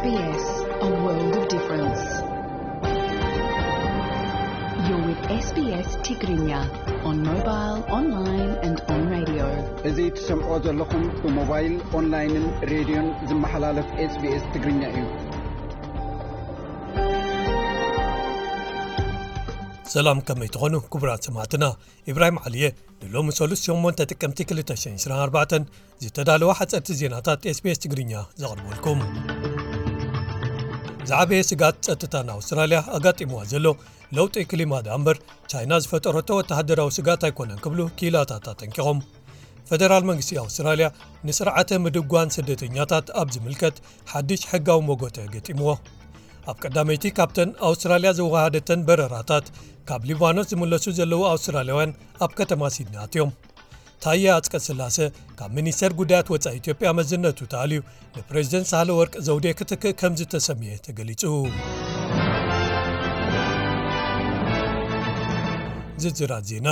S B S, a world of difference. You're with S B S Tigrinya on mobile, online and on radio. እዚ ትሰምዖ ዘለኹም ብሞባይል፣ ኦንላይንን ሬድዮን ዝመሓላለፍ SBS ትግርኛ እዩ። ሰላም፣ ከመይ ትኾኑ ክቡራት ሰማዕትና? ኢብራሂም ዓሊየ ንሎሚ ሰሉስ ሸሞንተ ጥቅምቲ ክልተ ሽሕን ዕስራን ኣርባዕተን ዝተዳለዋ ሓፀርቲ ዜናታት SBS ትግርኛ ዘቕርበልኩም። ዝዓበየ ስጋት ጸጥታ ንኣውስትራልያ ኣጋጢምዋ ዘሎ ለውጢ ክሊማ ደኣ እምበር፣ ቻይና ዝፈጠረቶ ወተሃደራዊ ስጋት ኣይኮነን ክብሉ ክኢላታት ኣጠንቂቖም። ፈደራል መንግስቲ ኣውስትራልያ ንስርዓተ ምድጓን ስደተኛታት ኣብ ዝምልከት ሓድሽ ሕጋዊ መጎተ ገጢምዎ። ኣብ ቀዳመይቲ ካብተን ኣውስትራልያ ዘወሃደተን በረራታት ካብ ሊባኖስ ዝምለሱ ዘለዉ ኣውስትራልያውያን ኣብ ከተማ ሲድኒ ኣትዮም። ታየ ኣጽቀ ስላሰ ካብ ሚኒስተር ጉዳያት ወጻኢ ኢትዮጵያ መዝነቱ ተኣልዩ ንፕሬዝደንት ሳህለ ወርቅ ዘውዴ ክትክእ ከም ዝተሰምየ ተገሊጹ። ዝርዝራት ዜና።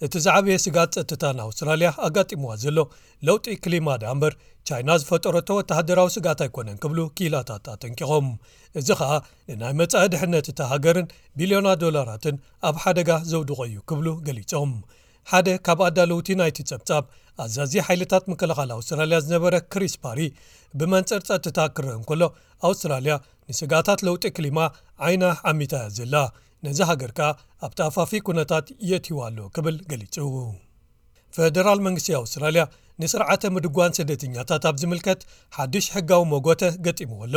እቲ ዝዓበየ ስጋት ጸጥታ ንኣውስትራልያ ኣጋጢምዋ ዘሎ ለውጢ ክሊማ ደኣ እምበር፣ ቻይና ዝፈጠረቶ ወተሃደራዊ ስጋት ኣይኮነን ክብሉ ክኢላታት ኣጠንቂቖም። እዚ ኸኣ ንናይ መጻኢ ድሕነት እታ ሃገርን ቢልዮናት ዶላራትን ኣብ ሓደጋ ዘውድቖ እዩ ክብሉ ገሊጾም። ሓደ ካብ ኣዳለውቲ ናይቲ ጸብጻብ፣ ኣዛዚ ሓይልታት ምክልኻል ኣውስትራልያ ዝነበረ ክሪስ ፓሪ፣ ብመንጽር ጸጥታ ክረአ እንከሎ፣ ኣውስትራልያ ንስጋታት ለውጢ ክሊማ ዓይና ዓሚታ እያ ዘላ፣ ነዚ ሃገር ከኣ ኣብቲ ኣፋፊ ኩነታት የእትይዋ ኣሎ ክብል ገሊጹ። ፈደራል መንግስቲ ኣውስትራልያ ንስርዓተ ምድጓን ስደተኛታት ኣብ ዝምልከት ሓድሽ ሕጋዊ መጎተ ገጢምዎ ኣሎ።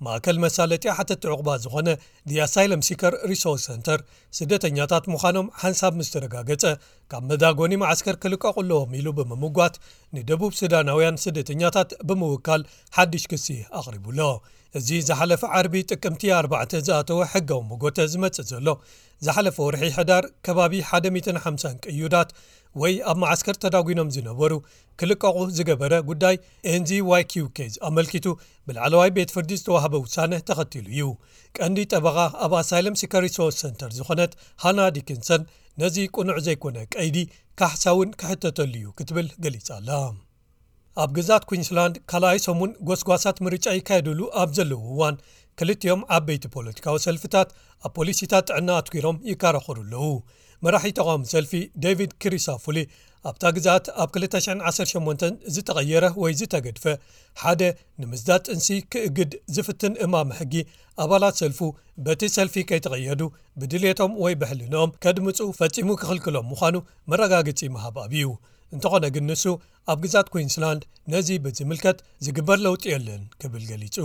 ማእከል መሳለጢ ሓተቲ ዕቑባ ዝኾነ The Asylum Seeker Resource Centre፣ ስደተኛታት ምዃኖም ሓንሳብ ምስ ተረጋገጸ፣ ካብ መዳጎኒ መዓስከር ክልቀቑ ኣለዎም ኢሉ ብምምጓት፣ ንደቡብ ሱዳናውያን ስደተኛታት ብምውካል ሓድሽ ክሲ ኣቕሪቡ ኣሎ። እዚ ዝሓለፈ ዓርቢ ጥቅምቲ ኣርባዕተ ዝኣተወ ሕጋዊ መጎተ ዝመጽእ ዘሎ፣ ዝሓለፈ ወርሒ ሕዳር ከባቢ ሓደ ሚእትን ሓምሳን ቅዩዳት ወይ ኣብ መዓስከር ተዳጒኖም ዝነበሩ ክልቀቑ ዝገበረ ጉዳይ ኤንዚ ዋይ ኪው ኬዝ ኣመልኪቱ ብላዕለዋይ ቤት ፍርዲ ዝተዋህበ ውሳነ ተኸቲሉ እዩ። ቀንዲ ጠበቓ ኣብ ኣሳይለም ሲከር ሪሶርስ ሰንተር ዝኾነት ሃና ዲኪንሰን፣ ነዚ ቅኑዕ ዘይኮነ ቀይዲ ካሕሳ እውን ክሕተተሉ እዩ ክትብል ገሊጻ ኣላ። ኣብ ግዛት ኩንስላንድ ካልኣይ ሰሙን ጎስጓሳት ምርጫ ይካየድሉ ኣብ ዘለዉ እዋን፣ ክልቲኦም ዓበይቲ ፖለቲካዊ ሰልፍታት ኣብ ፖሊሲታት ጥዕና ኣትኲሮም ይከራኸሩ ኣለዉ። መራሒ ተቓዋሚ ሰልፊ ዴቪድ ክሪሳፉሊ፣ ኣብታ ግዛት ኣብ ክልተ ሽሕን ዓሰርተ ሸሞንተን ዝተቐየረ ወይ ዝተገድፈ ሓደ ንምስዳድ ጥንሲ ክእግድ ዝፍትን እማመ ሕጊ፣ ኣባላት ሰልፉ በቲ ሰልፊ ከይተቐየዱ ብድሌቶም ወይ ብሕልንኦም ከድምጹ ፈጺሙ ክኽልክሎም ምዃኑ መረጋገጺ ምሃብ ኣብዩ። እንተኾነ ግን ንሱ ኣብ ግዛት ኩንስላንድ ነዚ ብዝምልከት ዝግበር ለውጢ የለን ክብል ገሊጹ።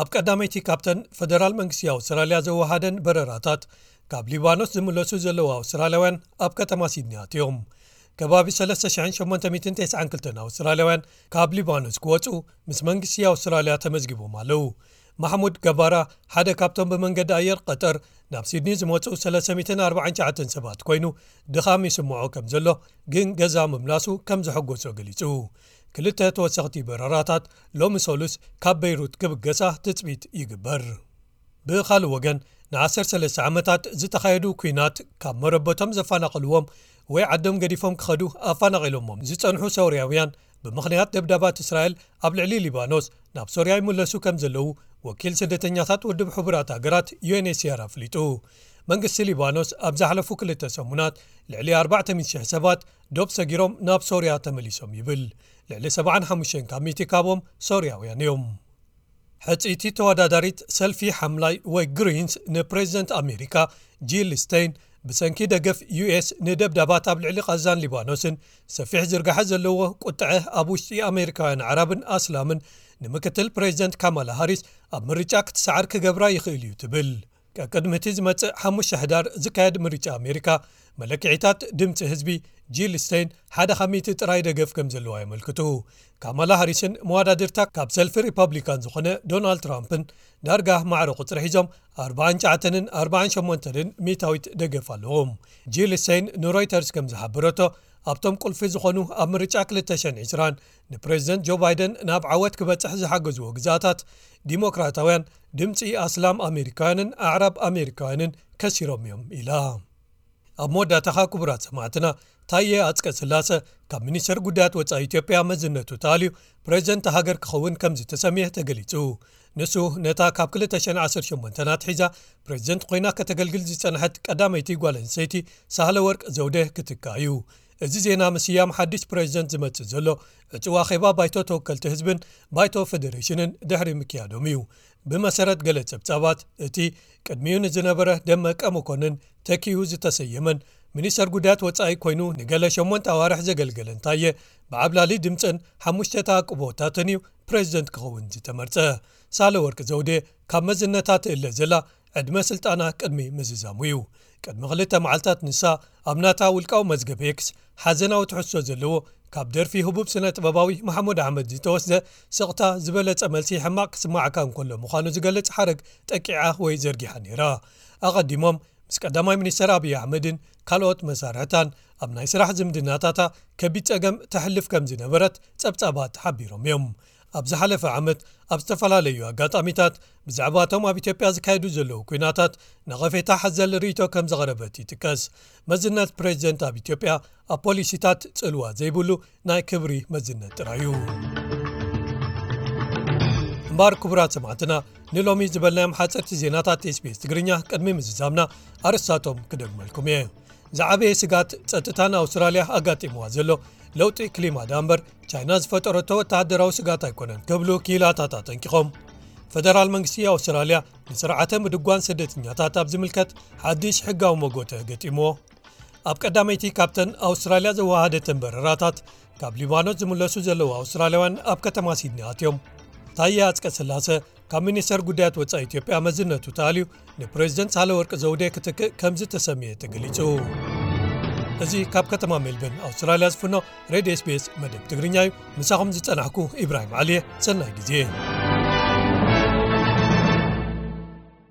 ኣብ ቀዳመይቲ ካብተን ፈደራል መንግስቲ ኣውስትራልያ ዘወሃደን በረራታት ካብ ሊባኖስ ዝምለሱ ዘለዉ ኣውስትራልያውያን ኣብ ከተማ ሲድኒ ኣትዮም። ከባቢ ሰለስተ ሽሕን ሸሞንተ ሚእትን ተስዓን ክልተን ኣውስትራልያውያን ካብ ሊባኖስ ክወጹ ምስ መንግስቲ ኣውስትራልያ ተመዝጊቦም ኣለዉ። ማሕሙድ ገባራ ሓደ ካብቶም ብመንገዲ ኣየር ቀጠር ናብ ሲድኒ ዝመጹ ሰለስተ ሚእትን ኣርባዓን ትሽዓተን ሰባት ኮይኑ፣ ድኻም ይስምዖ ከም ዘሎ ግን ገዛ ምምላሱ ከም ዘሐጎሶ ገሊጹ። ክልተ ተወሰኽቲ በረራታት ሎሚ ሰሉስ ካብ በይሩት ክብገሳ ትጽቢት ይግበር። ብኻልእ ወገን፣ ንዓሰርተ ሰለስተ ዓመታት ዝተኻየዱ ኲናት ካብ መረበቶም ዘፈናቐልዎም ወይ ዓዶም ገዲፎም ክኸዱ ኣፈናቒሎሞም ዝጸንሑ ሶርያውያን፣ ብምኽንያት ደብዳባት እስራኤል ኣብ ልዕሊ ሊባኖስ ናብ ሶርያ ይምለሱ ከም ዘለዉ ወኪል ስደተኛታት ውድብ ሕቡራት ሃገራት ዩ ኤን ኤች ሲ ኣር ኣፍሊጡ። መንግስቲ ሊባኖስ ኣብ ዝሓለፉ ክልተ ሰሙናት ልዕሊ ኣርባዕተ ሚእቲ ሽሕ ሰባት ዶብ ሰጊሮም ናብ ሶርያ ተመሊሶም ይብል። ልዕሊ ሰብዓን ሓሙሽተን ካብ ሚእቲ ካብኦም ሶርያውያን እዮም። ሕጽይቲ ተወዳዳሪት ሰልፊ ሓምላይ ወይ ግሪንስ ንፕሬዝደንት ኣሜሪካ ጂል ስቴን፣ ብሰንኪ ደገፍ ዩ ኤስ ንደብዳባት ኣብ ልዕሊ ቃዛን ሊባኖስን ሰፊሕ ዝርጋሐ ዘለዎ ቁጥዐ ኣብ ውሽጢ ኣሜሪካውያን ኣዕራብን ኣስላምን ንምክትል ፕሬዝደንት ካማላ ሃሪስ ኣብ ምርጫ ክትሰዓር ክገብራ ይኽእል እዩ ትብል። ቀቅድሚ እቲ ዝመጽእ ሓሙሽተ ሕዳር ዝካየድ ምርጫ ኣሜሪካ፣ መለክዒታት ድምጺ ህዝቢ ጂል ስቴን ሓደ ካብ ሚእቲ ጥራይ ደገፍ ከም ዘለዋ የመልክቱ። ካማላ ሃሪስን መወዳድርታ ካብ ሰልፊ ሪፐብሊካን ዝኾነ ዶናልድ ትራምፕን ዳርጋ ማዕረ ቁጽሪ ሒዞም ኣርባዓን ትሽዓተንን ኣርባዓን ሸሞንተንን ሚእታዊት ደገፍ ኣለዎም። ጂል ስቴን ንሮይተርስ ከም ዝሓበረቶ፣ ኣብቶም ቁልፊ ዝኾኑ ኣብ ምርጫ ክልተ ሽሕን ዕስራን ንፕሬዝደንት ጆ ባይደን ናብ ዓወት ክበጽሕ ዝሓገዝዎ ግዝኣታት፣ ዲሞክራታውያን ድምጺ ኣስላም ኣሜሪካውያንን ኣዕራብ ኣሜሪካውያንን ከሲሮም እዮም ኢላ። ኣብ መወዳእታኻ ክቡራት ሰማዕትና፣ ታየ ኣጽቀ ስላሰ ካብ ሚኒስተር ጉዳያት ወጻኢ ኢትዮጵያ መዝነቱ ተኣልዩ ፕሬዚደንት ሃገር ክኸውን ከም ዝተሰምየ ተገሊጹ። ንሱ ነታ ካብ ክልተ ሽሕን ዓሰርተ ሸሞንተን ኣትሒዛ ፕሬዚደንት ኮይና ከተገልግል ዝጸንሐት ቀዳመይቲ ጓል ኣንስተይቲ ሳህለ ወርቅ ዘውዴ ክትካ እዩ። እዚ ዜና ምስያም ሓድሽ ፕሬዚደንት ዝመጽእ ዘሎ ዕጹ ኣኼባ ባይቶ ተወከልቲ ህዝብን ባይቶ ፌደሬሽንን ድሕሪ ምክያዶም እዩ። ብመሰረት ገለ ጸብጻባት፣ እቲ ቅድሚኡ ንዝነበረ ደመቀ መኮንን ተኪኡ ዝተሰየመን ሚኒስተር ጉዳያት ወጻኢ ኮይኑ ንገለ ሸሞንተ ኣዋርሕ ዘገልገለን ታየ ብዓብላሊ ድምፅን ሓሙሽተ ተኣቅቦታትን እዩ ፕሬዚደንት ክኸውን ዝተመርጸ። ሳህለ ወርቅ ዘውዴ ካብ መዝነታ ትእለ ዘላ ዕድመ ስልጣና ቅድሚ ምዝዛሙ እዩ። ቅድሚ ክልተ መዓልታት ንሳ ኣብ ናታ ውልቃዊ መዝገብ ኤክስ ሓዘናዊ ትሕዝቶ ዘለዎ ካብ ደርፊ ህቡብ ስነ ጥበባዊ መሓሙድ ኣሕመድ ዝተወስደ ስቕታ ዝበለጸ መልሲ ሕማቕ ክስማዓካ እንከሎ ምዃኑ ዝገልጽ ሓረግ ጠቂዓ ወይ ዘርጊሓ ነይራ። ኣቐዲሞም ምስ ቀዳማይ ሚኒስተር ኣብይ ኣሕመድን ካልኦት መሳርሕታን ኣብ ናይ ስራሕ ዝምድናታታ ከቢድ ጸገም ተሕልፍ ከም ዝነበረት ጸብጻባት ሓቢሮም እዮም። ኣብ ዝሓለፈ ዓመት ኣብ ዝተፈላለዩ ኣጋጣሚታት ብዛዕባቶም ኣብ ኢትዮጵያ ዝካየዱ ዘለዉ ኲናታት ነቐፌታ ሓዘል ርእይቶ ከም ዘቕረበት ይጥቀስ። መዝነት ፕሬዚደንት ኣብ ኢትዮጵያ ኣብ ፖሊሲታት ጽልዋ ዘይብሉ ናይ ክብሪ መዝነት ጥራይ እዩ። እምበኣር ክቡራት ሰማዕትና፣ ንሎሚ ዝበልናዮም ሓፀርቲ ዜናታት ኤስቢኤስ ትግርኛ ቅድሚ ምዝዛምና ኣርእስታቶም ክደግመልኩም እየ። ዝዓበየ ስጋት ጸጥታ ንኣውስትራልያ ኣጋጢምዋ ዘሎ ለውጢ ክሊማ ደኣ እምበር ቻይና ዝፈጠረቶ ወተሃደራዊ ስጋት ኣይኮነን ክብሉ ክኢላታት ኣጠንቂቖም። ፈደራል መንግስቲ ኣውስትራልያ ንስርዓተ ምድጓን ስደተኛታት ኣብ ዝምልከት ሓድሽ ሕጋዊ መጎተ ገጢምዎ። ኣብ ቀዳመይቲ ካብተን ኣውስትራልያ ዘወሃደተን በረራታት ካብ ሊባኖስ ዝምለሱ ዘለዉ ኣውስትራልያውያን ኣብ ከተማ ሲድኒ ኣትዮም። ታየ ኣጽቀ ስላሰ ካብ ሚኒስተር ጉዳያት ወጻኢ ኢትዮጵያ መዝነቱ ተኣልዩ ንፕሬዚደንት ሳህለወርቅ ዘውዴ ክትክእ ከም ዝተሰምየ ተገሊጹ። እዚ ካብ ከተማ ሜልበርን ኣውስትራልያ ዝፍኖ ሬድዮ ኤስቢኤስ መደብ ትግርኛ እዩ። ምሳኹም ዝጸናሕኩ ኢብራሂም ዓሊየ። ሰናይ ግዜ።